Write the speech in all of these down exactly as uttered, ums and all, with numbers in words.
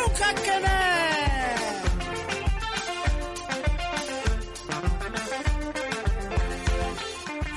Denmisɛnninw ka kɛnɛ.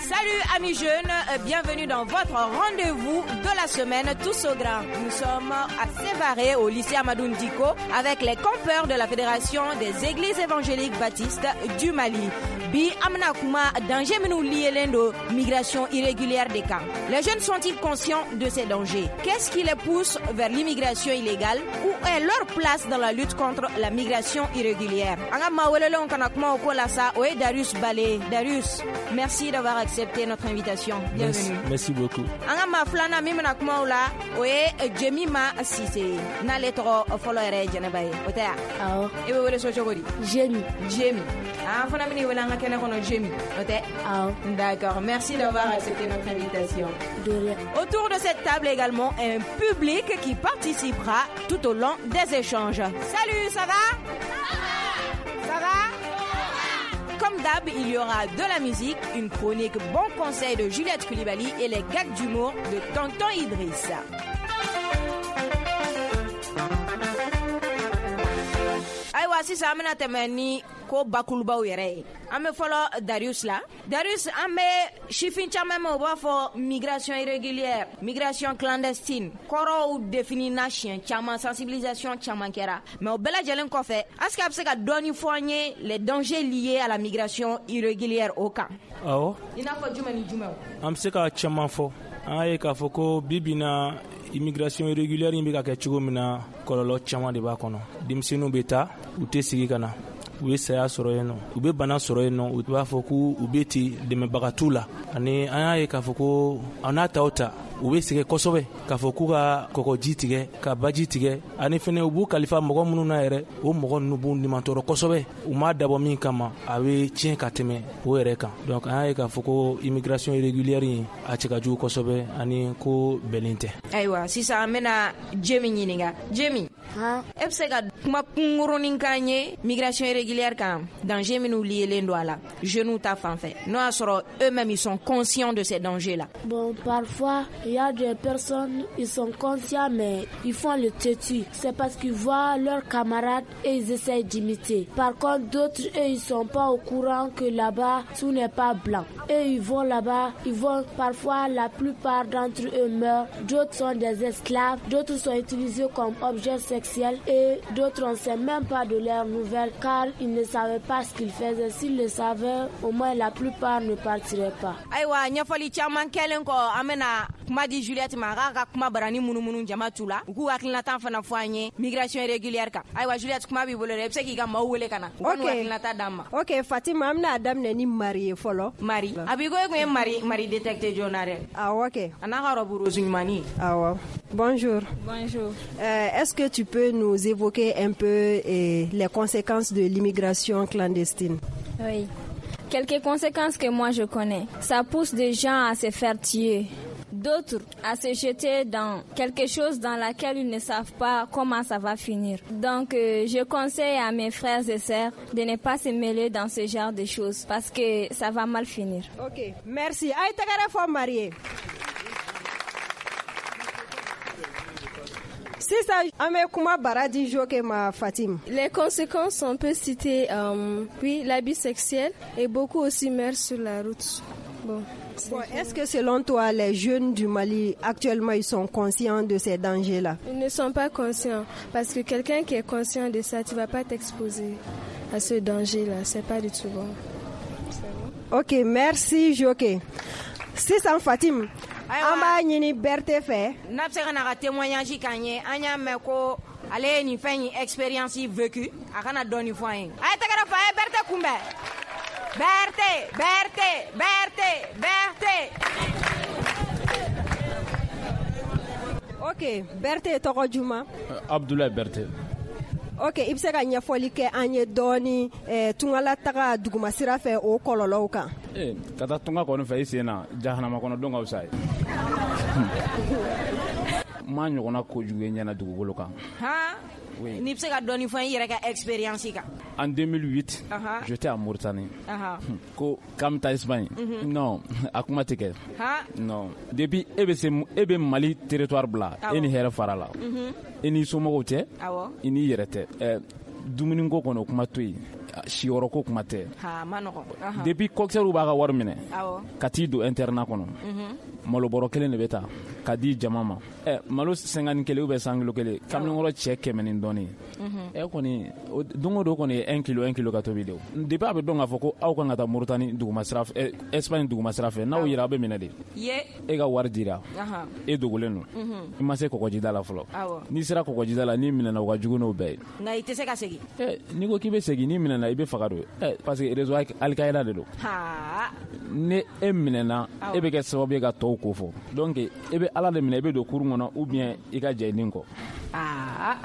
Salut amis jeunes, bienvenue dans votre rendez-vous de la semaine Tous au Grand. Nous sommes à Sévaré au lycée Hamadoun Dicko avec les campeurs de la Fédération des Églises évangéliques baptistes du Mali. Bi an bɛna kuma danger minnu liélen do migration irrégulière des camps. Les jeunes sont-ils conscients de ces dangers? Qu'est-ce qui les pousse vers l'immigration illégale? Où est leur place dans la lutte contre la migration irrégulière? An ka maa welelenw kana kuma o ko la sa, o ye Darius Bale. Darius, merci d'avoir accepté notre invitation. Bienvenue. Merci, merci beaucoup. An ka maa filanan min bɛna kuma o la, o ye Jemima Sise. N'ale tɔgɔ fɔlɔ yɛrɛ ye Jɛnɛba ye, o tɛ ya? Awɔ. E bɛ wele so cogo di? Jemi. Jemi. An fana bɛn'i wele an ka kɛnɛ kɔnɔ Jemi, o tɛ? Awɔ. D'accord, merci d'avoir accepté notre invitation. De rien. Autour de cette table également, un public qui participera tout au long des échanges. Salut, ça va? Ça va? Ça va? Comme d'hab, il y aura de la musique, une chronique bon conseil de Juliette Coulibaly et les gags d'humour de Tonton Idriss. Ayiwa sisan an bɛna tɛmɛ ni ko bakurubaw yɛrɛ ye. An bɛ fɔlɔ Darius la. Darius, an bɛ sifin caman mɛn, u b'a fɔ migration irrégulière, migration clandestine. Kɔrɔw définina siɲɛ caman, sensibilisation caman kɛra. Mais o bɛɛ lajɛlen kɔfɛ, est-ce que a bɛ se ka dɔɔni fɔ an ye les dangers liés à la migration irrégulière o kan? Awɔ. I n'a fɔ jumɛn ni jumɛn? An bɛ se ka caman fɔ. An y'a ye k'a fɔ ko bi bi in na immigration irrégulière in bɛ ka kɛ cogo min na, kɔlɔlɔ caman de b'a kɔnɔ. Denmisɛnninw bɛ taa, u tɛ segin ka na. U ye saya sɔrɔ yen nɔ, u bɛ bana sɔrɔ yen nɔ, u b'a fɔ k'u bɛ ten dɛmɛbaga t'u la. Ani an y'a ye k'a fɔ ko an n'a ta o ta, u bɛ sɛgɛn kosɛbɛ k'a fɔ k'u ka kɔgɔji tigɛ, ka baji tigɛ, ani fɛnɛ u b'u kalifa mɔgɔ minnu na yɛrɛ, o mɔgɔ ninnu b'u nimantɔrɔ kosɛbɛ. U m'a dabɔ min kama, a bɛ tiɲɛ ka tɛmɛ o yɛrɛ kan. Donc an y'a ye k'a fɔ ko immigration irrégulière in a cɛ ka jugu kosɛbɛ ani ko bɛnnen tɛ. Ayiwa sisan an bɛna Jemi ɲininka. Jemi, e bɛ se ka kuma kunkurunin k'an ye migration irrégulière kan, danger minnu liélen don a la jeunes ta fan fɛ, n'o y'a sɔrɔ eux-mêmes ils sont conscients de ces dangers là? Bon, parfois il y a des personnes, ils sont conscients mais ils font le têtu. C'est parce qu'ils voient leurs camarades et ils essayent d'imiter. Par contre, d'autres, eux, ils sont pas au courant que là-bas, tout n'est pas blanc. Eux, ils vont là-bas, ils vont parfois, la plupart d'entre eux meurent. D'autres sont des esclaves, d'autres sont utilisés comme objets sexuels et d'autres, on ne sait même pas de leurs nouvelles car ils ne savaient pas ce qu'ils faisaient. S'ils le savaient, au moins la plupart ne partiraient pas. Ayiwa ɲɛfɔli caman kɛlen kɔ, an bɛna kuma di Juliette ma, a k'a ka kuma barani munumunu jama tu la, u k'u hakilinata fana fɔ an ye migration irrégulière kan. Ayiwa Juliette, kuma b'i bolo dɛ, i bɛ se k'i ka maaw wele ka na u ka n'u hakilinata d'an ma. Ok Fatima, an bɛna daminɛ ni Marie ye fɔlɔ. Marie, a b'i ko e kun ye Marie Marie détecté joona dɛ. Awɔ kɛ. A n'a ka robe rose ɲumannin. Awɔ. Bonjour. Bonjour. Euh, est-ce que tu peux nous évoquer un peu eh, les conséquences de l'immigration clandestine? Oui. Quelques conséquences que moi je connais. Ça pousse des gens à se faire tuer. D'autres à se jeter dans quelque chose dans laquelle ils ne savent pas comment ça va finir. Donc, euh, je conseille à mes frères et sœurs de ne pas se mêler dans ce genre de choses parce que ça va mal finir. Ok, merci. Aïe, tɛgɛrɛ fɔ Marie. Sisan an bɛ kuma bara di Joke ma Fatim. Les conséquences, on peut citer euh, oui, l'abus sexuel et beaucoup aussi meurent sur la route. Bon. Bon, est-ce que selon toi, les jeunes du Mali, actuellement, ils sont conscients de ces dangers-là? Ils ne sont pas conscients, parce que quelqu'un qui est conscient de ça, tu ne vas pas t'exposer à ce danger-là. C'est pas du tout bon. C'est bon. Ok, merci Joke. Sisan Fatim, an b'a ɲini Berthe fɛ. N'a bɛ se ka na ka témoignage k'an ye, an y'a mɛn ko ale ye nin fɛn in expérience vécue, a kana dɔɔni fɔ an ye. A ye tɛgɛrɛ fɔ, a ye Berthe kunbɛn. Berthe, Berthe, Berthe, Berthe. Ok, Berthe tɔgɔ juma? Abdoulaye Berthe. Ok, i bɛ se ka ɲɛfɔli kɛ an ye dɔɔni eh, tungalataga dugumasira fɛ o kɔlɔlɔw kan? Eh, ka taa tunga kɔni fɛ i sen na, jahanama kɔnɔ don ka fisa ye. N m'a ɲɔgɔnna kojugu ye ɲɛna dugukolo kan. Han? N'i bɛ se ka dɔɔni fɔ i yɛrɛ ka expérience kan. En deux mille huit, uh -huh. j'étais à Mauritanie. Uh -huh. Ko k'an bɛ taa Espagne. Mm -hmm. Non, a kuma tɛ kɛ. Non. Depuis e bɛ se e bɛ Mali territoire bila, e ni hɛrɛ fara la. Mm -hmm. E n'i somɔgɔw tɛ. Awɔ. I n'i yɛrɛ tɛ. Ɛ dumuniko kɔni o kuma to yen. Siyɔrɔ ko kuma tɛ. Ha, ma nɔgɔn. Depuis coxeur b'a ka wari minɛ. Awɔ. Ka t'i don internat kɔnɔ. Mm-hmm. Malo bɔrɔ kelen de bɛ ta ka di jama ma. Ɛ malo cinquante kelen ou bien cent kilo kelen kamalenkɔrɔ cɛ kɛmɛ ni dɔɔnin. Ɛ kɔni don o don kɔni ye un kilo un kilo ka tobi de. Depuis a bɛ dɔn k'a fɔ ko aw kan ka taa Mauritanie duguma sira fɛ, Espagne duguma sira fɛ, n'aw yera aw bɛ minɛ de. Ye. E ka wari dira. E dogolen don. I ma se kɔgɔjida la fɔlɔ. N'i sera kɔgɔjida la n'i minɛna o ka jugu n'o bɛɛ ye. Nka i tɛ se ka segin. Ɛ n'i ko k'i bɛ segin n'i minɛna i bɛ faga don. Ɛ parce que réseau Al-Qaïda de don. Ni e minɛna e bɛ kɛ sababu ye ka tɔw ko fɔ. Donc e bɛ Ala de minɛ i bɛ don kurun kɔnɔ ou bien i ka jɛ i nin kɔ. Aa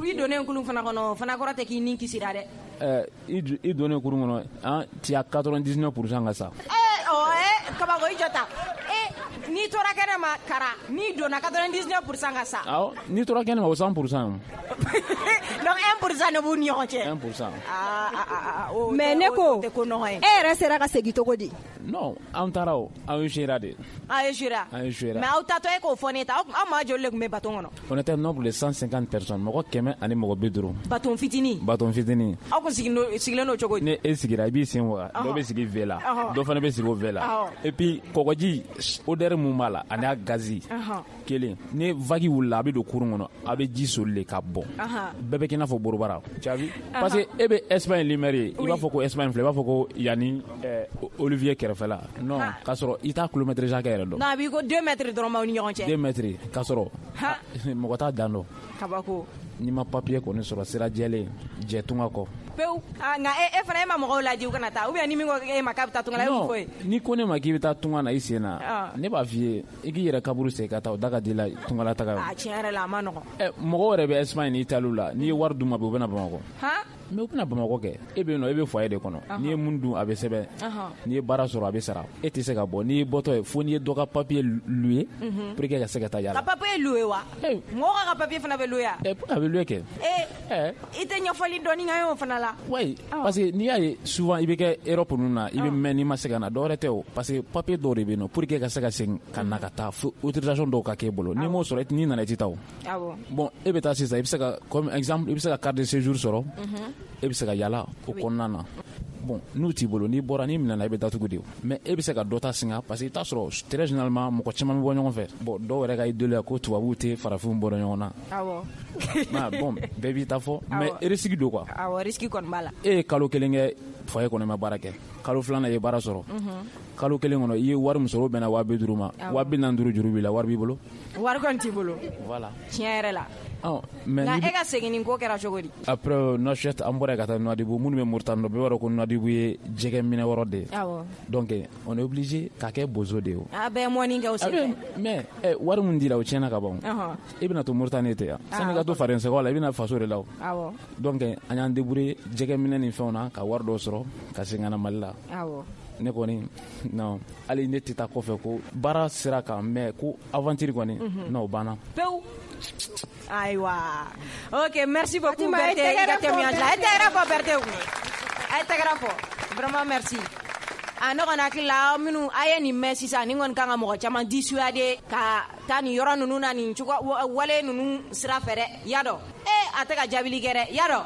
i donnen kurun fana kɔnɔ o fana kɔrɔ tɛ k'i nin kisira dɛ. Ɛɛ i donnen kurun kɔnɔ an tu as quatre-vingt-dix-neuf pour cent ka sa. Ee ɔ ee kabako i jɔ ta. Ee n'i tora kɛnɛ ma kara n'i donna quatre-vingt-dix-neuf pour cent ka sa. Awɔ n'i tora kɛnɛ ma o cent pour cent. Donc un pour cent de b'u ni ɲɔgɔn cɛ. un pour cent. Aa aa aa mais ne ko e yɛrɛ sera ka segin cogo di? Non, an taara o an échouera de. An échouera. An échouera. Mais aw taatɔ e k'o fɔ ne ta aw maa joli de tun bɛ baton kɔnɔ? On était nombre de cent cinquante personnes mɔgɔ kɛmɛ ani mɔgɔ bi duuru. Baton fitinin. Baton fitinin. Aw kun sigilen don cogo di? Ni e sigira i b'i sen waga dɔ bɛ sigi V la dɔ fana bɛ sigi o V la et puis kɔgɔji odeur mun b'a la ani a gazi kelen ni vague wulila a bɛ don kurun kɔnɔ a bɛ ji soli de ka bɔn bɛɛ bɛ kɛ i n'a fɔ borobara tu as vu parce que e bɛ Espagne lumière ye i b'a fɔ ko Espagne filɛ i b'a fɔ ko yanni Olivier kɛrɛfɛla non k'a sɔrɔ i t'a kilomètre hakɛ yɛrɛ dɔn. Non a b'i ko deux mètres dɔrɔn b'aw ni ɲɔgɔn cɛ. deux mètres k'a sɔrɔ mɔgɔ t'a dan dɔn. Kabako. N'i ma papier kɔni sɔrɔ sira jɛlen jɛ tunga kɔ. Pewu nka e fana e ma mɔgɔw laji u kana taa ou bien ni min ko e ma k'a bɛ taa tunga la e b'o fɔ ye. N'i ko ne ma k'i bɛ taa tunga na i sen na ne b'a f'i ye i k'i yɛrɛ kaburu sen ka taa o da ka di la tunga la taga ye. A tiɲɛ yɛrɛ la a ma nɔgɔn. Ɛ mɔgɔw yɛrɛ bɛ Espagne ni Italie la n'i ye wari d'u ma bi u bɛ na Bamakɔ. Han. Mais u bɛna Bamakɔ kɛ e bɛ yen nɔ e bɛ foyer de kɔnɔ n'i ye mun dun a bɛ sɛbɛn n'i ye baara sɔrɔ a bɛ sara e tɛ se ka bɔ n'i bɔtɔ ye fo n'i ye dɔ ka papier louer pour que ka se ka taa yala. Ka papier louer wa? Mɔgɔ ka papier fana bɛ louer wa? Ɛ a bɛ louer kɛ. Ee i tɛ ɲɛfɔli dɔɔni k'an ye o fana la. Oui parce que n'i y'a ye souvent i bɛ kɛ Europe ninnu na i bɛ mɛn n'i ma se ka na dɔwɛrɛ tɛ o parce que papier dɔw de bɛ yen nɔ pour que ka se ka segin ka na ka taa fo autorisation dɔw ka k'e bolo n'i m'o sɔrɔ n'i nana i tɛ taa o. Awɔ. Bon e bɛ taa sisan i bɛ se ka comme exemple i bɛ se ka carte de séjour sɔrɔ. E bɛ se ka yala o kɔnɔna na bon n'u t'i bolo n'i bɔra n'i minɛna i bɛ datugu de mais e bɛ se ka dɔ ta singa parce que i t'a sɔrɔ très généralement mɔgɔ caman bɛ bɔ ɲɔgɔn fɛ bon dɔw yɛrɛ ka idée la ko tubabuw tɛ farafinw bɔra ɲɔgɔn na. Awɔ. Bon bɛɛ b'i ta fɔ mais risque don quoi. Awɔ risque kɔni b'a la. E ye kalo kelen kɛ foyer kɔnɔ i ma baara kɛ kalo filanan i ye baara sɔrɔ kalo kelen kɔnɔ i ye wari min sɔrɔ o bɛnna waa bi duuru ma waa bi naani duuru juru b'i la wari b'i bolo. Wari kɔni t'i bolo. Voilà. Tiɲɛ yɛrɛ la. Oh, mais nka e ka segin nin ko kɛra cogo di? Après Nouakchott an bɔra yen ka taa Nouadhibou minnu bɛ Mauritanie dɔn bɛɛ b'a dɔn ko Nouadhibou ye jɛgɛ minɛ yɔrɔ de ye. Awɔ. Donc on est obligé k'a kɛ bozo de ye o. A bɛɛ mɔni kɛ o senfɛ. Mais ɛ wari min dira o tiɲɛna ka ban. I bɛna to Mauritanie ten yan. Sani ka to Farɛnsɛgɛw la i bɛna faso de la o. Awɔ. Donc an y'an débrouiller jɛgɛ minɛ ni fɛnw na ka wari dɔw sɔrɔ ka segin ka na Mali la. Awɔ. Ne kɔni non hali ne tɛ taa kɔfɛ ko baara sera kan mais ko aventure kɔni non o banna. Pewu. Ayiwa. Ok, merci beaucoup Berthe. I ka témoignage la. A ye tɛgɛrɛ fɔ Berthe kun. A ye tɛgɛrɛ fɔ. Vraiment merci. A ne kɔni hakili la aw minnu a ye nin mɛn sisan nin kɔni kan ka mɔgɔ caman dissuader ka taa nin yɔrɔ ninnu na nin cogo wale ninnu sira fɛ dɛ. Y'a dɔn. Eh a tɛ ka jaabili kɛ dɛ. Y'a dɔn.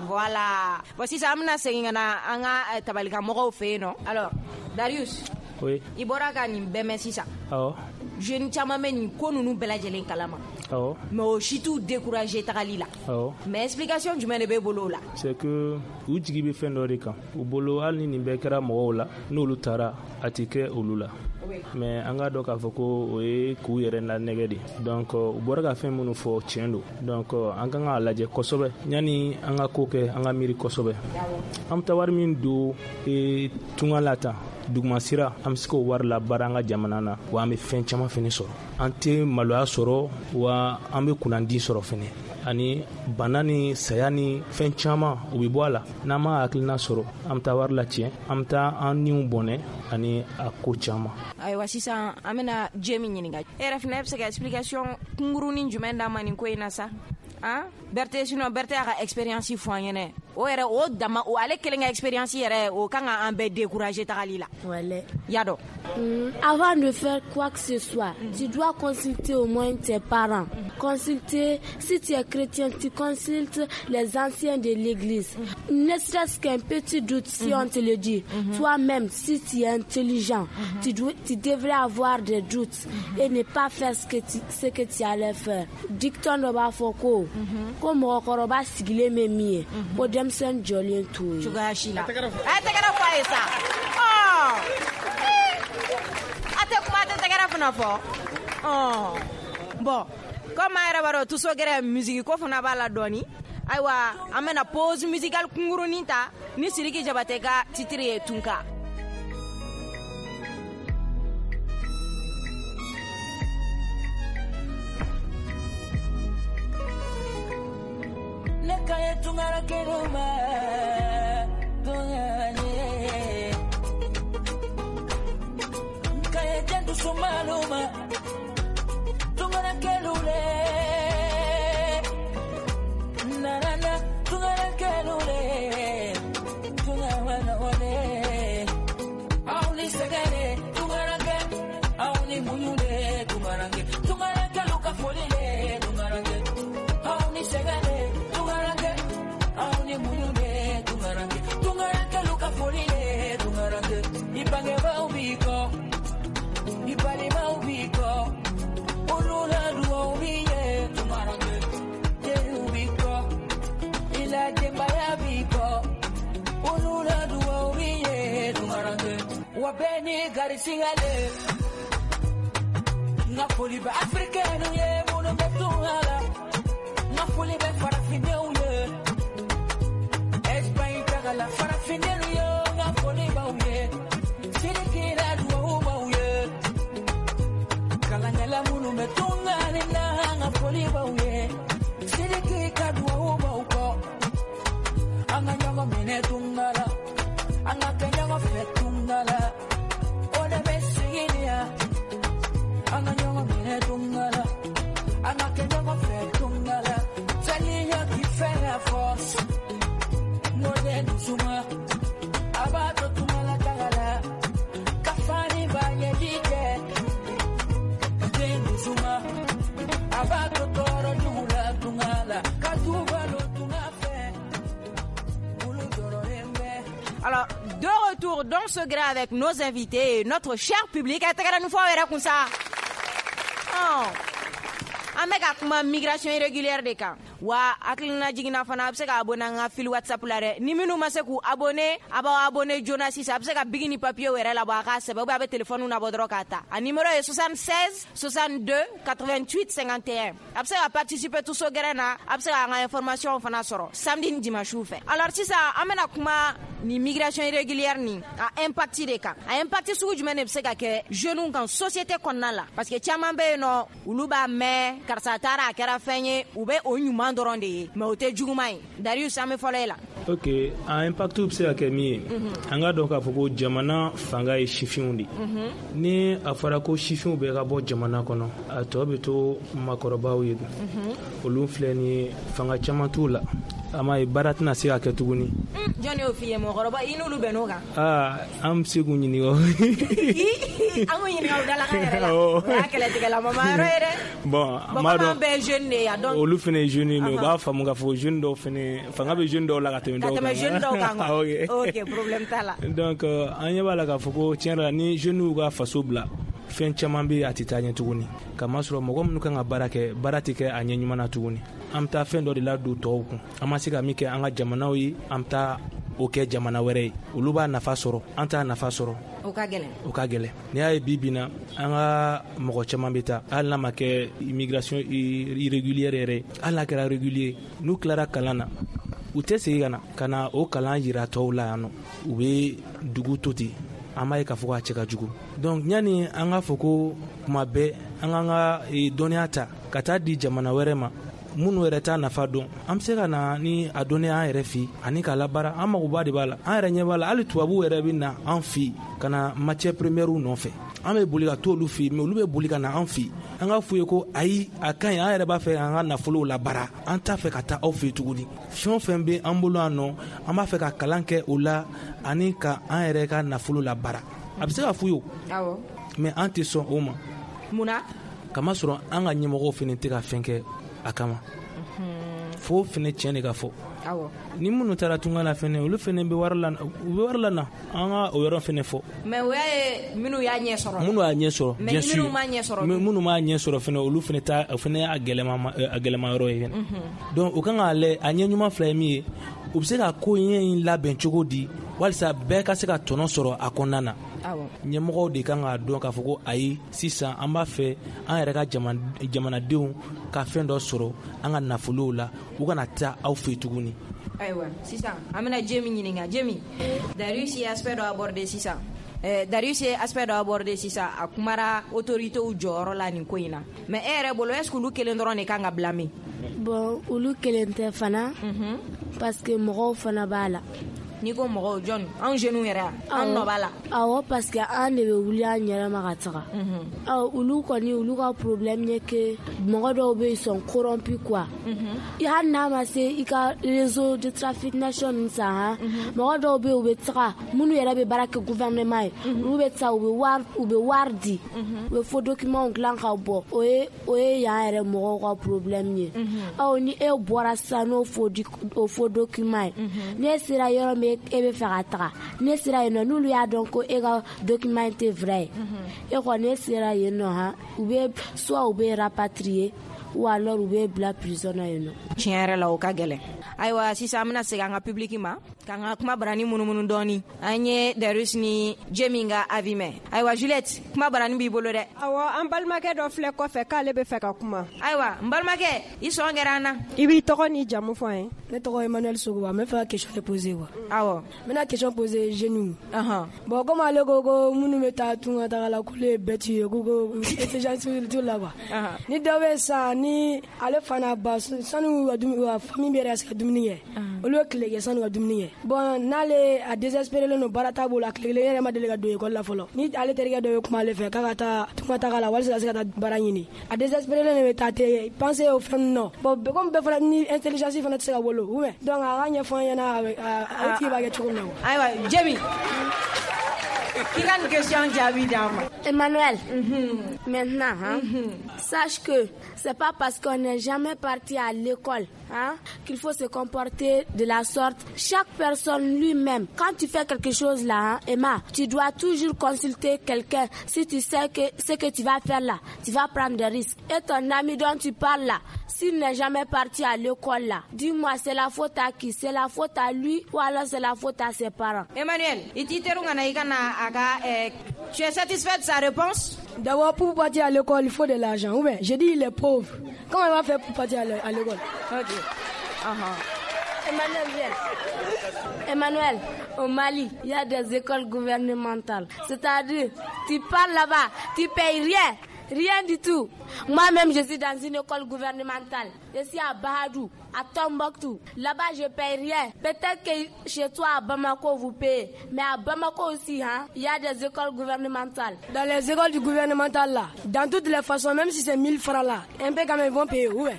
Voilà. Bon sisan an bɛna segin ka na an ka tabalikan mɔgɔw fɛ yen nɔ. Alors Darius. Oui. I bɔra ka nin bɛɛ mɛn sisan. Awɔ. Jeune caman bɛ nin ko ninnu bɛɛ lajɛlen kalama. Awɔ. Mais o si t'u décourager tagali la. Awɔ. Mais explication jumɛn de b'e bolo o la? C'est que u jigi bɛ fɛn dɔ de kan. U bolo hali ni nin bɛɛ kɛra mɔgɔw la n'olu taara a tɛ kɛ olu la. Mais an k'a dɔn k'a fɔ ko o ye k'u yɛrɛ lanɛgɛ de. Donc u bɔra ka fɛn minnu fɔ tiɲɛ don. Donc an kan k'a lajɛ kosɛbɛ yanni an ka ko kɛ an ka miiri kosɛbɛ. An bɛ taa wari min don tunga la tan dugumasira an bɛ se k'o wari labaara an ka jamana na wa an bɛ fɛn caman fɛnɛ sɔrɔ. An tɛ maloya sɔrɔ wa an bɛ kunnandi sɔrɔ fɛnɛ. Ani bana ni saya ni fɛn caman u bɛ bɔ a la n'an ma hakilina sɔrɔ an bɛ taa wari latiɲɛ an bɛ taa an niw bɔnɛ ani a ko caman. Ayiwa sisan an bɛna Jɛ min ɲininka e yɛrɛ fana bɛ se ka explication kunkurunin jumɛn d'a ma nin ko in na sa? Ah Berthe sinon Berthe y'a ka expérience fɔ an ɲɛnɛ o yɛrɛ o dama o ale kelen ka expérience yɛrɛ o kan ka an bɛɛ décourager tagali la. Wala. Y'a dɔn. Mm, avant de faire quoi que ce soit, mm. tu dois consulter au moins tes parents. Mm. Consulter, si tu es chrétien, tu consultes les anciens de l'église. Mm. Ne serait-ce qu'un petit doute si mm. on te le dit. Mm-hmm. Toi-même, si tu es intelligent, mm-hmm. tu, dois, tu devrais avoir des doutes mm-hmm. et ne pas faire ce que tu, ce que tu allais faire. Dicton dɔ b'a fɔ ko ko mɔgɔkɔrɔba sigilen bɛ min ye ko denmisɛnnin jɔlen t'o ye. Cogoya si la. A ye tɛgɛrɛ fɔ a ye sa. Ɔ a tɛ kuma a tɛ tɛgɛrɛ fana fɔ. Ɔ bon comme an yɛrɛ b'a dɔn Tuso Gɛrɛ musique ko fana b'a la dɔɔni. Ayiwa an bɛna pause musicale kunkurunin ta ni Sidiki Jabate ka titre ye Tunka. Kaya tungara keluma tungane kaya jantu sumaluma tungara kelule na na na tungara kelule tungara wale auni segere tungara ke auni muyule tungara ke tungara keluka folile tungara ke auni segere Wabeni garisigale Ngafuli ba Afrikanu ye munu betungala Ngafuli be farafine uye Espagne tagala farafine uye Ngafuli ba uye Sirikira duwa uba uye Kalangela munu betungale na ngafuli ba uye Sirikika duwa uba uko Anga nyongo mine tungala Anga kenyango fetungala Ode besiginia Anga nyongo mine tungala Anga kenyango fetungala Taliya qui fait la force Mode dusuma Abato tungala tagala Kafani banye dike Dusuma Abato toro jugula tungala Katubalo tungafe Ulu doro embe. Alors, de retour dans ce gré avec nos invités et notre cher public. An bɛ ka kuma migration irrégulière de kan wa hakilina jiginna fana a bɛ se ka abonné an ka fil WhatsApp la dɛ ni minnu ma se k'u abonné a b'aw abonné joona sisan a bɛ se ka bigi ni papier yɛrɛ labɔ a k'a sɛbɛn ou bien a bɛ téléphone nabɔ dɔrɔn k'a ta a numéro ye soixante-seize soixante-deux quatre-vingt-huit cinquante et un a bɛ se ka participer Tuso Gɛrɛ na a bɛ se k'an ka information fana sɔrɔ samedi ni dimanche fɛ. Alors sisan an bɛna kuma ni migration irrégulière ni a impact de kan a impact sugu jumɛn de bɛ se ka kɛ jeunes kan société kɔnɔna la parce que caman bɛ yen nɔ olu b'a mɛn karisa taara a kɛra fɛn ye u bɛ o ɲuman dɔrɔn de ye mais o tɛ juguman ye. Darius an bɛ fɔlɔ e la. Ok a impact bɛ se ka kɛ min ye an k'a dɔn k'a fɔ ko jamana fanga ye sifinw de ye ni a fɔra ko sifinw bɛɛ ka bɔ jamana kɔnɔ a tɔ bɛ to maakɔrɔbaw ye olu filɛ nin ye fanga caman t'u la a ma ye baara tɛna se ka kɛ tuguni. Jɔn y'o f'i ye mɔgɔkɔrɔba i n'olu bɛn n'o kan. Aa an bɛ se k'u ɲininka. An k'u ɲininka o dalakan yɛrɛ la o y'a kɛlɛtigɛlamama yɔrɔ ye dɛ. Bon an b'a dɔn bɛɛ ye jeune de ye donc olu fana ye jeune ye mais u b'a faamu k'a fɔ jeune dɔw fana fanga bɛ jeune dɔw la ka tɛmɛ dɔw kan. Ka tɛmɛ jeune dɔw kan quoi. Ok problème t'a la. Donc an ɲɛ b'a la k'a fɔ ko tiɲɛ yɛrɛ la ni jeunes y'u ka faso bila fɛn caman bɛ a tɛ taa ɲɛ tuguni kamasɔrɔ mɔgɔ minnu kan ka baara kɛ baara tɛ kɛ a ɲɛ ɲuman na tuguni an bɛ taa fɛn dɔ de ladon tɔw kun an ma se ka min kɛ an ka jamanaw ye an bɛ taa o kɛ jamana wɛrɛ ye olu b'a nafa sɔrɔ an t'a nafa sɔrɔ o ka gɛlɛn o ka gɛlɛn n'i y'a ye bi bi na an ka mɔgɔ caman bɛ taa hali n'a ma kɛ immigration irrégulière yɛrɛ hali n'a kɛra régulier n'u tilara kalan na u tɛ segin ka na ka na o kalan yira tɔw la yan nɔ u bɛ dugu to ten an b'a ye k'a fɔ k'a cɛ ka jugu donc yanni an k'a fɔ ko kuma bɛɛ an k'an ka dɔnniya ta ka taa di jamana wɛrɛ ma minnu yɛrɛ t'a nafa dɔn an bɛ se ka na ni a dɔnniya an yɛrɛ fɛ ani k'a labaara an magoba de b'a la an yɛrɛ ɲɛ b'a la hali tubabuw yɛrɛ bɛ na an fɛ ka na matière première nɔfɛ An bɛ boli ka t'olu fɛ yen, mais olu bɛ boli ka na an fɛ yen. An ka f'u ye ko ayi, a ka ɲi, an yɛrɛ b'a fɛ an ka nafolow labaara, an t'a fɛ ka taa aw fɛ yen tuguni. Fɛn o fɛn bɛ an bolo yan nɔ, an b'a fɛ ka kalan kɛ o la ani ka an yɛrɛ ka nafolo labaara. A bɛ se ka f'u ye o, mais an tɛ sɔn o ma. Mun na? Kamasɔrɔ an ka ɲɛmɔgɔw fana tɛ ka fɛn kɛ a kama. Fo fana tiɲɛ de ka fɔ. Ni minnu taara tunga la fɛnɛ, olu fɛnɛ bɛ wari la, u bɛ wari la na, an ka o yɔrɔ fɛnɛ fɔ. Mais o y'a ye minnu y'a ɲɛ sɔrɔ. Minnu y'a ɲɛ sɔrɔ, bien sûr. Mais minnu m'a ɲɛ sɔrɔ. Minnu m'a ɲɛ sɔrɔ fɛnɛ, olu fɛnɛ ta, o fɛnɛ y'a gɛlɛma a gɛlɛma yɔrɔ ye fɛnɛ. Donc o kan k'a lajɛ, a ɲɛ ɲuman fila ye min ye, u bɛ se ka ko ɲɛ in labɛn cogo di walisa bɛɛ ka se ka tɔnɔ sɔrɔ a kɔnɔna na. Ɲɛmɔgɔw de kan k'a dɔn k'a fɔ ko ayi, sisan an b'a fɛ an yɛrɛ ka jamanadenw ka fɛn dɔ sɔrɔ an ka nafolow la, u kana taa aw fɛ tuguni. Ayiwa, sisan an bɛna Jemi ɲininka. Jemi, Darius ye aspect dɔ aborder sisan. Darius ye aspect dɔ aborder sisan, a kumara autorités jɔyɔrɔ la nin ko in na. Mais e yɛrɛ bolo, est ce que olu kelen dɔrɔn de kan ka blâmer? Bon, olu kelen tɛ fana, parce que mɔgɔw fana b'a la. N'i ko mɔgɔw, jɔn? Anw jeunes yɛrɛ, an nɔ b'a la. Awɔ, parce que an de bɛ wuli an yɛrɛ ma ka taga. Awɔ, olu kɔni, olu ka problème ye que mɔgɔ dɔw bɛ yen, ils sont corrompus quoi. Hali n'a ma se i ka réseau de trafic nation ninnu san han, mɔgɔ dɔw bɛ yen, u bɛ taga, minnu yɛrɛ bɛ baara kɛ gouvernement ye, olu bɛ taa, u bɛ wari u bɛ wari di, u bɛ faux documents dilan ka bɔ. O ye o ye yan yɛrɛ mɔgɔw ka problème ye. Awɔ, ni e bɔra sisan n'o faux o faux document ye, n'e sera yɔrɔ min e bɛ fɛ ka taga, ne sera yen nɔ, n'olu y'a dɔn ko e ka document tɛ vrai ye, e kɔni e sera yen nɔ han, u bɛ soit u bɛ rapatrier ou alors u bɛ bila prison na yen nɔ. Tiɲɛ yɛrɛ la, o ka gɛlɛn. Ayiwa, sisan an bɛna segin an ka public ma k'an ka kuma barani munumunu dɔɔni. An ye Darius ni Jemi ka avis mɛn. Ayiwa, Juliette, kuma barani b'i bolo dɛ. Awɔ, an balimakɛ dɔ filɛ kɔfɛ k'ale bɛ fɛ ka kuma. Ayiwa, n balimakɛ, i sɔn kɛra an na. I b'i tɔgɔ n'i jamu fɔ an ye. Ne tɔgɔ Emmanuel Sogoba, n bɛ fɛ ka question de poser quoi. Awɔ. N bɛna question poser jeunes. Bon, comme ale ko ko minnu bɛ taa tunga taga la k'olu ye bête ye, k'u ko intelligence t'u la quoi. Ni dɔ bɛ sa ni ale fana ba sanu ka dumuni, ka famille bɛ yɛrɛ ka se ka dumuni kɛ, olu bɛ tile kɛ sanu ka dumuni kɛ. Bon, n'ale a désespéré len don, baara t'a bolo, a tile kelen yɛrɛ ma deli ka don école la fɔlɔ. Ni ale terikɛ dɔ bɛ kuma ale fɛ k'a ka taa tunga taga la walasa ka se ka taa baara ɲini, a désespéré len de bɛ taa te penser o fɛn ninnu na. Bon, comme bɛɛ fana ni intelligence fana tɛ se ka wolo, ou bien donc a ka ɲɛfɔ an ɲɛna a tigi b'a kɛ cogo min na. Ayiwa, Jemi, k'i ka nin question jaabi d'an ma. Emmanuel, mm-hmm. Maintenant, hein, mm-hmm. sache que c'est pas parce qu'on n'est jamais parti à l'école, hein, qu'il faut se comporter de la sorte. Chaque personne lui-même, quand tu fais quelque chose là, hein, Emma, tu dois toujours consulter quelqu'un. Si tu sais que ce que tu vas faire là, tu vas prendre des risques. Et ton ami dont tu parles là, s'il n'est jamais parti à l'école là, dis-moi, c'est la faute à qui? C'est la faute à lui ou alors c'est la faute à ses parents? Emmanuel, tu es satisfait de sa réponse? D'abord, pour partir à l'école, il faut de l'argent. Ou bien, j'ai dit, il est pauvre. Comment il va faire pour partir à l'école? Ok. Uh-huh. Emmanuel, viens. Emmanuel, au Mali, il y a des écoles gouvernementales. C'est-à-dire, tu parles là-bas, tu payes rien. Rien du tout. Moi-même, je suis dans une école gouvernementale. Je suis à Bahadou, à Tombouctou. Là-bas, je paye rien. Peut-être que chez toi, à Bamako, vous payez. Mais à Bamako aussi, hein, il y a des écoles gouvernementales. Dans les écoles du gouvernemental, là, dans toutes les façons, même si c'est mille francs là, un peu quand même, ils vont payer. Ouais.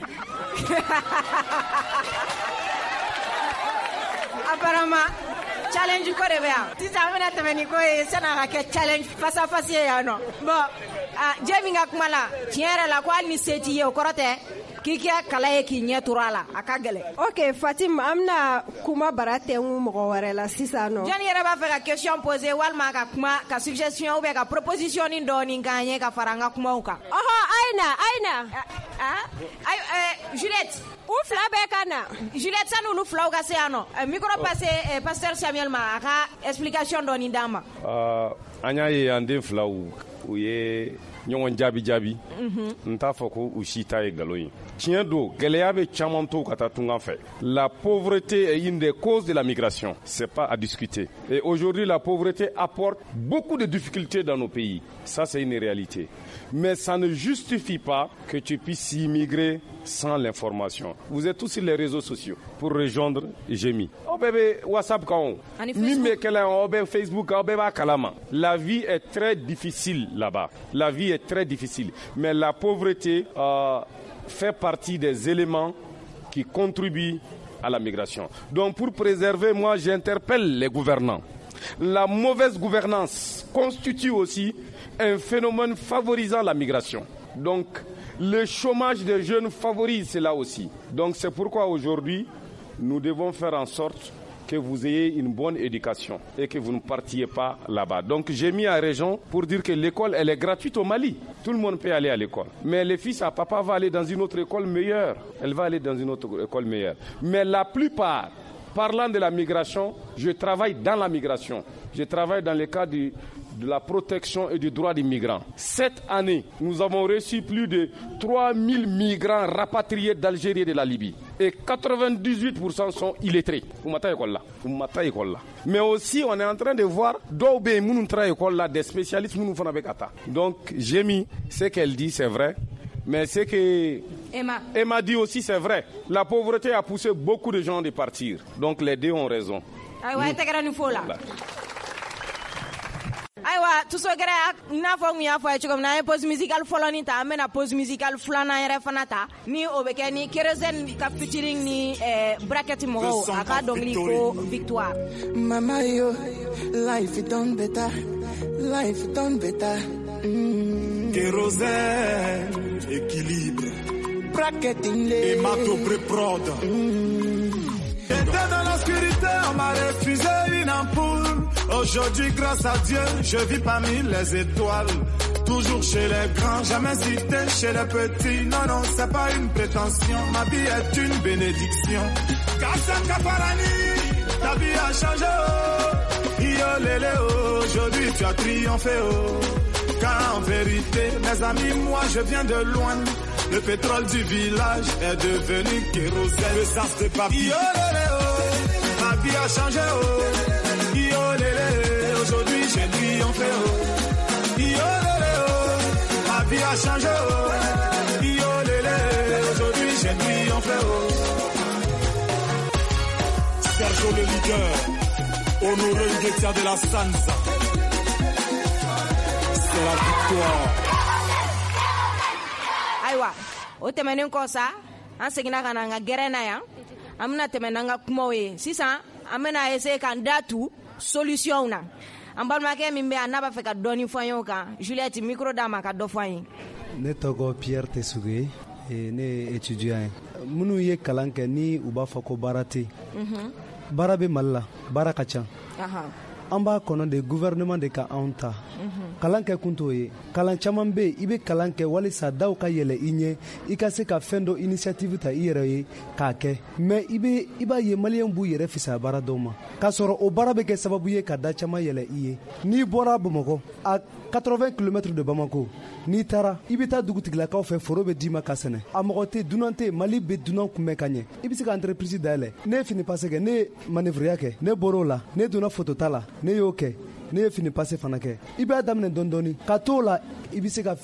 Apparemment, challenge ko de bɛ yan sisan, an bɛna tɛmɛ ni ko ye san'a ka kɛ challenge face à face ye yan nɔ. Bon, ah, Jemi ka kuma la, tiɲɛ yɛrɛ la, ko hali ni se t'i ye, o kɔrɔ tɛ k'i kɛ kala ye k'i ɲɛ turu a la, a ka gɛlɛn. Ok, Fatim, an bɛna kuma bara tɛnku mɔgɔ wɛrɛ la sisan nɔ. Jɔnni yɛrɛ b'a fɛ ka question poser walima ka kuma, ka suggestion ou bien ka proposition ni dɔɔni k'an ye ka fara an ka kumaw kan? Ɔhɔ, a ye na, a ye na. Ah, ayi, Juliette. U fila bɛɛ ka na. Juliette, sani olu filaw ka se yan nɔ, micro passé pasteur Samuel ma, a ka explication dɔɔni d'an ma. An y'a ye an den filaw, u ye Ɲɔgɔn jaabi jaabi. N t'a fɔ ko u si ta ye nkalon ye. Tiɲɛ don, gɛlɛya bɛ caman to ka taa tunga fɛ. La pauvreté est une des causes de la migration. C'est pas à discuter. Et aujourd'hui, la pauvreté apporte beaucoup de difficultés dans nos pays. Ça, c'est une réalité. Mais ça ne justifie pas que tu puisses immigrer sans l'information. Vous êtes tous sur les réseaux sociaux pour rejoindre Jemi. Oh bébé, WhatsApp quand on Facebook, la vie est très difficile là-bas. La vie est très difficile. Mais la pauvreté euh, fait partie des éléments qui contribuent à la migration. Donc pour préserver, moi j'interpelle les gouvernants. La mauvaise gouvernance constitue aussi un phénomène favorisant la migration. Donc le chômage des jeunes favorise cela aussi. Donc c'est pourquoi aujourd'hui, nous devons faire en sorte que vous ayez une bonne éducation et que vous ne partiez pas là-bas. Donc j'ai mis à raison pour dire que l'école, elle est gratuite au Mali. Tout le monde peut aller à l'école. Mais les fils à papa va aller dans une autre école meilleure. Elle va aller dans une autre école meilleure. Mais la plupart, parlant de la migration, je travaille dans la migration. Je travaille dans le cadre du, de la protection et du droit des migrants. Cette année, nous avons reçu plus de trois mille migrants rapatriés d'Algérie et de la Libye. Et quatre-vingt-dix-huit pour cent sont illettrés. Mais aussi, on est en train de voir des spécialistes. Donc, j'ai mis ce qu'elle dit, c'est vrai. Mais ce que Emma. Emma dit aussi, c'est vrai. La pauvreté a poussé beaucoup de gens de partir. Donc, les deux ont raison. Ayiwa, tɛgɛrɛ ni fo la. Ayiwa, Tusogɛrɛ, n'a fɔ n y'a fɔ a ye cogo min na, an ye pause musicale fɔlɔ nin ta, an bɛna pause musicale filanan yɛrɛ fana ta, ni o bɛ kɛ ni Kérosène ka featuring ni eh, Bracket mɔgɔw, a ka dɔnkili ko Victoire. Mama yo, life it done better, life it done better. Mm. Kérosène, équilibre. Bracketing les. Et Matobré prod. Mm. J'étais dans l'obscurité, on m'a refusé une ampoule. Aujourd'hui, grâce à Dieu, je vis parmi les étoiles. Toujours chez les grands, jamais cité chez les petits. Non, non, c'est pas une prétention, ma vie est une bénédiction. Kassam Kaparani, ta vie a changé, oh. Yo lélé, oh. Aujourd'hui tu as triomphé, oh. Car en vérité, mes amis, moi je viens de loin. Le pétrole du village est devenu kérosène. Le sens de papi. Yo lélé, oh. Ma vie a changé, oh. Yo lélé, aujourd'hui j'ai triomphé, oh. Yo lélé, oh. Ma vie a changé, oh. Yo lélé, aujourd'hui j'ai triomphé, oh. Sergio le leader, honoré Nguetia de la Sanza. C'est la victoire. Ayiwa, o tɛmɛnen kɔ sa, an seginna ka na an ka gɛrɛn na yan. An bɛna tɛmɛ n'an ka kumaw ye. Sisan, an bɛna essayer k'an da tu solution na. An balimakɛ min bɛ yan n'a b'a fɛ ka dɔɔni fɔ an ye o kan, Juliette, micro d'a ma ka dɔ fɔ an ye. Ne tɔgɔ Pierre Tesuge, ne ye étudiant ye. Minnu ye kalan kɛ ni u b'a fɔ ko baara tɛ yen. Baara bɛ Mali la, baara ka ca. An b'a kɔnɔ de gouvernement de ka anw ta. Kalan kɛ kun t'o ye. Kalan caman bɛ yen, i bɛ kalan kɛ walisa daw ka yɛlɛ i ɲɛ, i ka se ka fɛn dɔ initiative ta i yɛrɛ ye k'a kɛ. Mais i bɛ i b'a ye maliyɛn b'u yɛrɛ fisaya baara dɔw ma. K'a sɔrɔ o baara bɛ kɛ sababu ye ka da caman yɛlɛ i ye. N'i bɔra Bamakɔ à quatre-vingts kilomètres de Bamako, n'i taara i bɛ taa dugutigilakaw fɛ, foro bɛ d'i ma ka sɛnɛ. A mɔgɔ tɛ, dunan tɛ, Mali bɛ dunan kunbɛn ka ɲɛ. I bɛ se ka entreprise dayɛlɛ. Ne ye fini passe kɛ, ne ye manœuvre kɛ, ne bɔr'o la, ne donna photo ta la. Ne y'o kɛ, ne ye fini passe fana kɛ. I b'a daminɛ dɔɔni dɔɔni ka t'o la, i bɛ se ka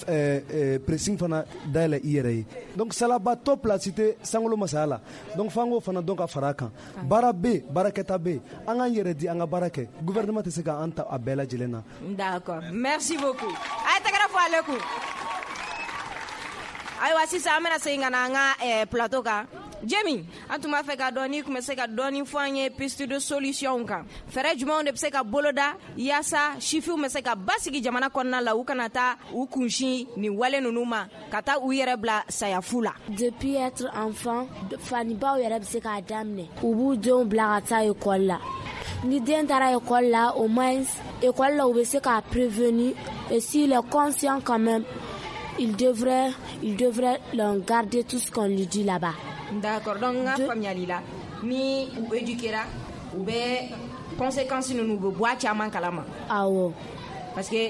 pressing fana dayɛlɛ i yɛrɛ ye. Donc salabatɔ place tɛ sankolo masaya la. Donc f'an k'o fana dɔn ka fara a kan. Baara bɛ yen, baarakɛta bɛ yen. An k'an yɛrɛ di, an ka baara kɛ. Gouvernement tɛ se k'an ta a bɛɛ lajɛlen na. D'accord, merci beaucoup. A ye tɛgɛrɛ fɔ ale kun. Ayiwa, sisan an bɛna segin ka na an ka plateau kan. Jemi, an tun b'a fɛ ka dɔn n'i tun bɛ se ka dɔɔni fɔ an ye piste de solution kan. Fɛɛrɛ jumɛnw de bɛ se ka boloda yaasa sifinw bɛ se ka basigi jamana kɔnɔna la, u kana taa u kunsin nin wale ninnu ma, ka taa u yɛrɛ bila sayafu la. Depuis être enfant, fanibaw yɛrɛ bɛ se k'a daminɛ. U b'u denw bila ka taa école la. Ni den taara école la, au moins école la, u bɛ se k'a prévenir. Et s'il est conscient quand même, il devrait, il devrait garder tout ce qu'on lui dit là-bas. D'accord, donc n ka faamuyali la, ni u éduquera, u bɛ conséquences ninnu, u bɛ bɔ a caman kalama. Awɔ. Parce que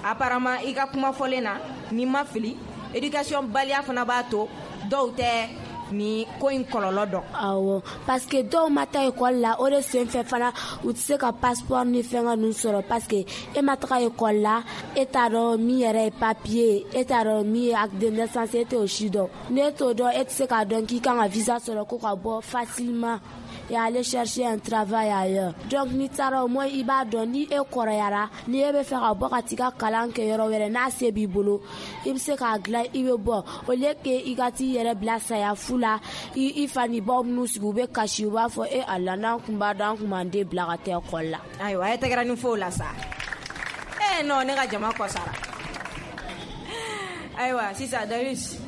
apparemment i ka kuma fɔlen na, Ni ma fili, éducation baliya fana b'a to dɔw tɛ ni ko in kɔlɔlɔ dɔn. Awɔ, parce que dɔw ma taa école la, o de sen fɛ fana u tɛ se ka passeport ni fɛngɛ ninnu sɔrɔ, parce que e ma taga école la, e t'a dɔn min yɛrɛ ye papier, e t'a dɔn min ye acte de naissance, e t'o si dɔn. N'e t'o dɔn, e tɛ se k'a dɔn k'i kan ka visa sɔrɔ ko ka bɔ facilement et aller chercher un travail ailleurs. Donc n'i taara, au moins i b'a dɔn ni e kɔrɔyara, ni e bɛ fɛ ka bɔ ka t'i ka kalan kɛ yɔrɔ wɛrɛ, n'a se b'i bolo, i bɛ se k'a dilan, i bɛ bɔ, au lieu que i ka t'i yɛrɛ bila saya fu la. I i fa ni baw minnu sigi, u bɛ kasi, u b'a fɔ e ala, n'an kun b'a dɔn, an kun b'an den bila ka taa ekɔli la. Ayiwa, a ye tɛgɛrɛ ni fo la sa. Eh non, ne ka jama kɔsara. Ayiwa, sisan Darius,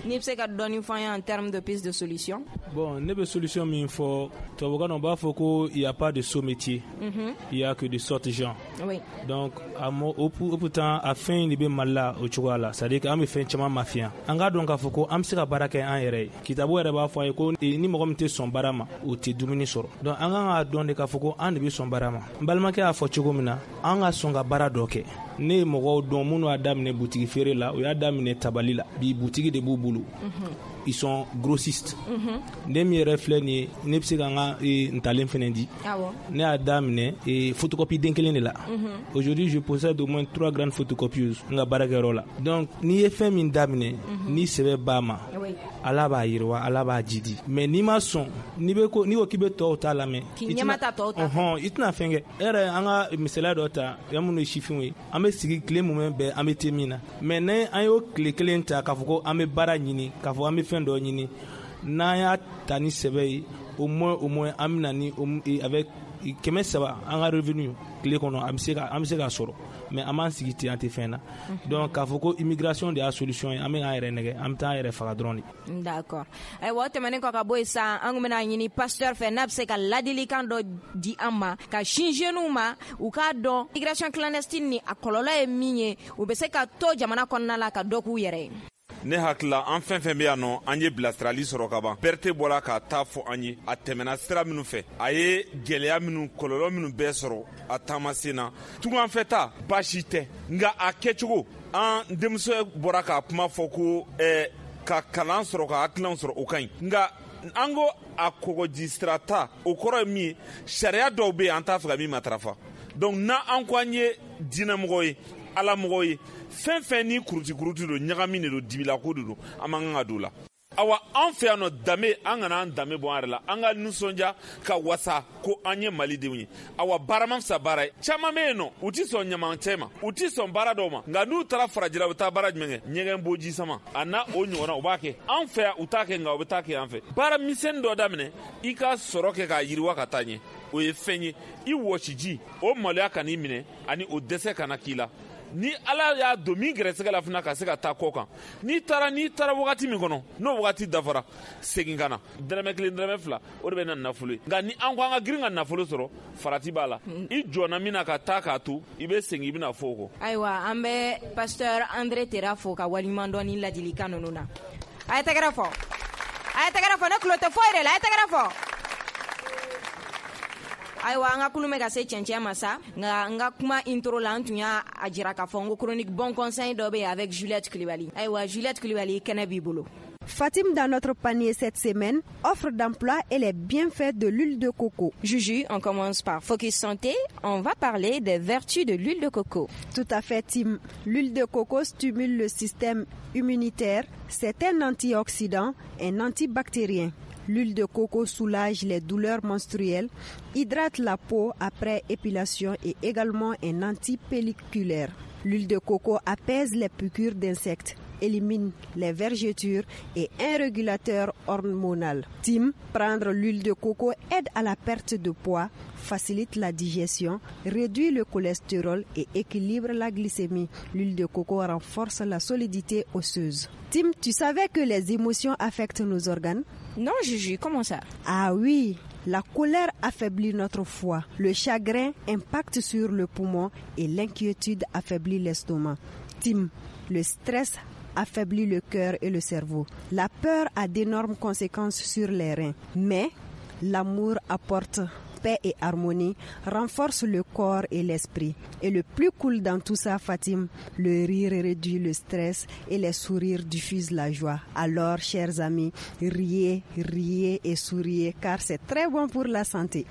n'i bɛ se ka dɔɔni fɔ an ye en termes de piste de solution. Bon, ne bɛ solution min fɔ, tubabukan na u b'a fɔ ko il y a pas de sot métier, mm-hmm. il y a que de sottes gens. Oui. Donc a mɔ o pourtant a fɛn in de bɛ Mali la o cogoya la, c'est à dire que an bɛ fɛn caman mafiya. An k'a dɔn k'a fɔ ko an bɛ se ka baara kɛ an yɛrɛ ye. Kitabu yɛrɛ b'a fɔ an ye ko ni mɔgɔ min tɛ sɔn baara ma, o tɛ dumuni sɔrɔ. Donc an kan k'a dɔn de k'a fɔ ko an de bɛ sɔn baara ma. N balimakɛ y'a fɔ cogo min na, an ka sɔn ka baara dɔ kɛ. Ne ye mɔgɔw dɔn minnu y'a daminɛ butigi feere la, u y'a daminɛ tabali la, bi butigi de b'u bolo. Ils sont grossistes. Ne min yɛrɛ filɛ nin ye, ne bɛ se ka n ka ntalen fɛnɛ di. Ne y'a daminɛ photocopie den kelen de la. Aujourd'hui, je possède au moins trois grandes photocopieuses n ka baarakɛyɔrɔ la. Donc n'i ye fɛn min daminɛ, ni sɛbɛ b'a ma, Ala b'a yiriwa, Ala b'a jidi. Mais n'i ma sɔn, n'i bɛ ko n'i ko k'i bɛ tɔw ta lamɛn, k'i ɲɛma ta tɔw ta, ɔhɔn, i tɛna fɛn kɛ. E yɛrɛ, an ka misaliya dɔ ta, yan minnu ye sifinw ye, an bɛ sigi tile mumɛ bɛɛ, an bɛ te min na. Mais ne an y'o tile kelen ta k'a fɔ ko an bɛ baara ɲini, k'a fɔ an bɛ fɛn dɔ ɲini, n'an y'a ta ni sɛbɛ ye, au moins au moins an bɛ na ni avec kɛmɛ saba an ka revenu tile kɔnɔ, an bɛ se ka an bɛ se k'a sɔrɔ. Mais an b'an sigi ten, an tɛ fɛn na. Donc k'a fɔ ko immigration de y'a solution ye, an bɛ k'an yɛrɛ nɛgɛ, an bɛ taa an yɛrɛ faga dɔrɔn de. D'accord. Ayiwa, o tɛmɛnen kɔ ka bɔ yen sisan, an kun bɛna ɲini pasteur fɛ n'a bɛ se ka ladilikan dɔ di an ma ka sin jeunes ma, u k'a dɔn immigration clandestine ni a kɔlɔlɔ ye min ye, u bɛ se ka to jamana kɔnɔna la ka dɔ k'u yɛrɛ ye. Ne hakilila, an fɛn fɛn bɛ yan nɔ, an ye bilasirali sɔrɔ ka ban. Berete bɔra k'a ta fɔ an ye, a tɛmɛna sira minnu fɛ, a ye gɛlɛya minnu, kɔlɔlɔ minnu bɛɛ sɔrɔ a taamasen na. Tunganfɛ ta baasi tɛ, nka a kɛcogo, an denmuso bɔra k'a kuma fɔ ko ɛɛ ka kalan sɔrɔ, ka hakilinaw sɔrɔ, o ka ɲi, nka an ko a kɔgɔji sira ta, o kɔrɔ ye min ye, sariya dɔw bɛ yen an t'a fɛ ka min matarafa. Donc n'an ko an ye diinɛmɔgɔ ye, ala mɔgɔ ye, fɛn fɛn ni kuruti kuruti don, ɲagami de don, dibilako de don, an man kan ka don o la. Awa, an fɛ yan nɔ, danbe, an kana an danbe bɔ an yɛrɛ la, an ka nisɔndiya ka wasa ko an ye malidenw ye. Awa, baara ma fisa baara ye. Caman bɛ yen nɔ, u ti sɔn ɲamancɛ ma, u ti sɔn baara dɔw ma, nka n'u taara farajɛla, u bɛ taa baara jumɛn kɛ? Ɲɛgɛn boji sama a n'a o ɲɔgɔnna, u b'a kɛ. An fɛ yan, u t'a kɛ, nka u bɛ taa kɛ an fɛ. Baara misɛnnin dɔ daminɛ, i ka sɔrɔ kɛ k'a yiriwa ka taa ɲɛ, o ye fɛn ye. I wɔsiji, o maloya kan'i minɛ, ani o dɛsɛ kana k'i la. Ni Ala y'a don min gɛrɛsɛgɛ la fana, ka se ka taa kɔ kan, n'i taara n'i taara wagati min kɔnɔ, n'o wagati dafara, segin ka na. Dɛrɛmɛ kelen, dɛrɛmɛ fila, o de bɛ na nafolo ye. Nka ni an ko an ka girin ka nafolo sɔrɔ, farati b'a la. I jɔnna min na ka taa k'a to, i bɛ segin, i bɛna fɔ o kɔ. Ayiwa, an bɛ pasteur André Tera fo ka waleɲuman dɔn ni ladilikan ninnu na. A ye tɛgɛrɛ fɔ, a ye tɛgɛrɛ fɔ, ne tulo tɛ foyi de la, a ye tɛgɛrɛ fɔ. Ayiwa, an ka kulu bɛ ka se cɛncɛn ma sa, nka n ka kuma intro la, an tun y'a jira k'a fɔ n ko chronique bon conseil dɔ bɛ yen avec Juliette Kulibali. Ayiwa, Juliette Kulibali, kɛnɛ b'i bolo. Fatim, dans notre panier cette semaine, offre d'emploi et les bienfaits de l'huile de coco. Juju, on commence par Focus Santé. On va parler des vertus de l'huile de coco. Tout à fait, Tim. L'huile de coco stimule le système immunitaire. C'est un antioxydant, un antibactérien. L'huile de coco soulage les douleurs menstruelles, hydrate la peau après épilation et également un antipelliculaire. L'huile de coco apaise les piqûres d'insectes, élimine les vergetures et un régulateur hormonal. Tim, prendre l'huile de coco aide à la perte de poids, facilite la digestion, réduit le cholestérol et équilibre la glycémie. L'huile de coco renforce la solidité osseuse. Tim, tu savais que les émotions affectent nos organes? Non, Juju, comment ça? Ah oui, la colère affaiblit notre foie, le chagrin impacte sur le poumon et l'inquiétude affaiblit l'estomac. Tim, le stress affaiblit le cœur et le cerveau. La peur a d'énormes conséquences sur les reins, mais l'amour apporte paix et harmonie renforce le corps et l'esprit. Et le plus cool dans tout ça, Fatim, le rire réduit le stress et les sourires diffusent la joie. Alors, chers amis, riez, riez et souriez car c'est très bon pour la santé.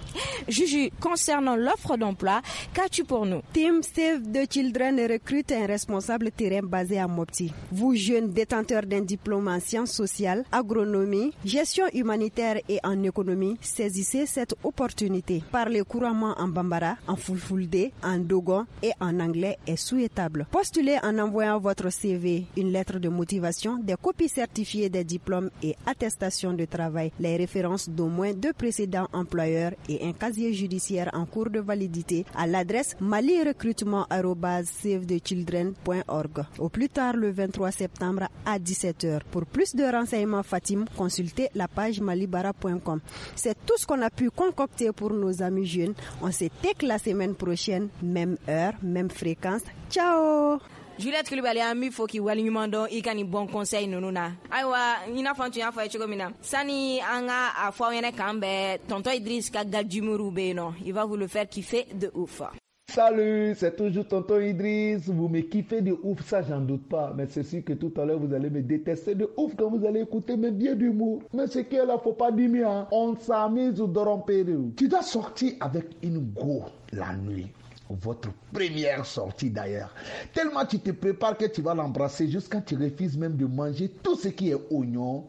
Juju, concernant l'offre d'emploi, qu'as-tu pour nous? Team Save the Children recrute un responsable terrain basé à Mopti. Vous, jeunes détenteurs d'un diplôme en sciences sociales, agronomie, gestion humanitaire et en économie, saisissez cette opportunité. Parler couramment en bambara, en fulfulde, en dogon et en anglais est souhaitable. Postulez en envoyant votre C V, une lettre de motivation, des copies certifiées des diplômes et attestations de travail, les références d'au moins deux précédents employeurs et un casier judiciaire en cours de validité à l'adresse malirecrutement arobase save the children point org. Au plus tard le vingt-trois septembre à dix-sept heures. Pour plus de renseignements, Fatim, consultez la page malibara point com. C'est tout ce qu'on a pu concocter pour nos amis jeunes. On se take la semaine prochaine, même heure, même fréquence. Ciao! Juliette Coulibaly, an b'i fo k'i waleɲuman dɔn i ka nin bon conseil ninnu na. Ayiwa, i n'a fɔ n tun y'a fɔ a ye cogo min na, sani an ka a fɔ aw ɲɛnɛ k'an bɛn, tonton Idriss ka gajumuru bɛ yen nɔ, il va vous le faire kiffer de ouf. Salut, c'est toujours tonton Idriss. Vous me kiffez de ouf, ça j'en doute pas. Mais c'est sûr que tout à l'heure vous allez me détester de ouf quand vous allez écouter mes biais d'humour. Mais ce qui est là, faut pas dire mieux, hein. On s'amuse au Dorompérou. Tu dois sortir avec une go la nuit. Votre première sortie d'ailleurs. Tellement tu te prépares que tu vas l'embrasser jusqu'à tu refuses même de manger tout ce qui est oignon,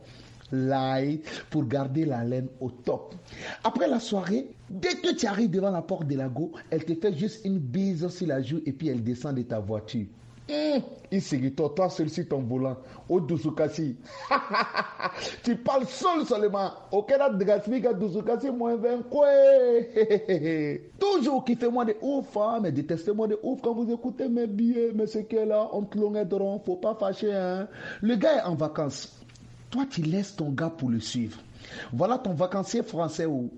l'ail, pour garder la laine au top. Après la soirée, dès que tu arrives devant la porte de la go, elle te fait juste une bise sur la joue et puis elle descend de ta voiture. Mmh, il s'est toi, toi seul sur ton volant, au Dusukasi. Tu parles seul seulement. Aucun autre Dusukasi moins vingt quoi. Toujours kiffez-moi de ouf, hein, mais détestez-moi de ouf quand vous écoutez mes billets. Mais ce qui est là, on te l'on faut pas fâcher. Hein. Le gars est en vacances. Toi, tu laisses ton gars pour le suivre. Voilà ton vacancier français ou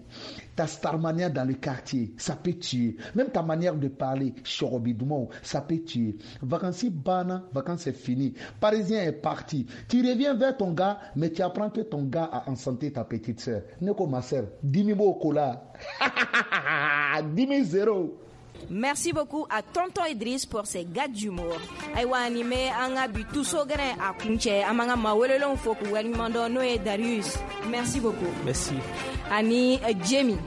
ta starmania dans le quartier, ça peut tuer. Même ta manière de parler, chorobidoumo, ça peut tuer. Vacancier bana, vacances c'est fini. Parisien est parti. Tu reviens vers ton gars, mais tu apprends que ton gars a enceinte ta petite sœur. Neko ma sœur, dix mille au cola. dix mille zéro. Merci beaucoup à Tonton Idriss pour ses gags d'humour. Ayiwa, nin bɛ an ka bi tuso gɛrɛ a kuncɛ. An b'an ka maa welelenw fo k'u waleɲuman dɔn, n'o ye Darius. Merci beaucoup. Merci. Ani euh, Jamie.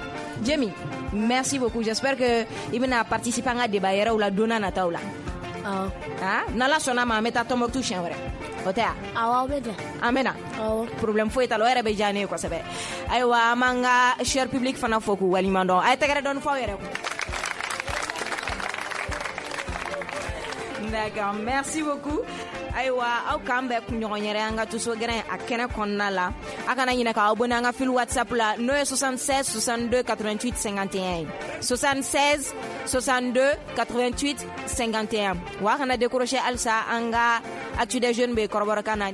Jamie, merci beaucoup. J'espère que i bɛna participer an ka débat yɛrɛw la don n'a nataw la. Awɔ. Ah, n'Ala sɔnna ma, an bɛ taa Tombouctou siɲɛ wɛrɛ. O tɛ wa? Awɔ, aw bɛ na. An bɛ na. Awɔ. Problème foyi t'a la, o yɛrɛ bɛ diya ne ye kosɛbɛ. Ayiwa, an b'an ka cher public fana fo k'u waleɲuman dɔn. A ye tɛgɛrɛ dɔɔni fɔ aw yɛrɛ kun. D'accord, merci beaucoup. Ayiwa, aw k'an bɛn kunɲɔgɔn yɛrɛ an ka tuso gɛrɛn a kɛnɛ kɔnɔna la. A kana ɲinɛ k'aw abonné an ka fil WhatsApp la, n'o ye soixante-seize soixante-deux quatre-vingt-huit cinquante et un ye. soixante-seize soixante-deux quatre-vingt-huit cinquante et un. Wa a kana décrocher halisa, an ka Actu des jeunes bɛ kɔrɔbɔrɔkan na.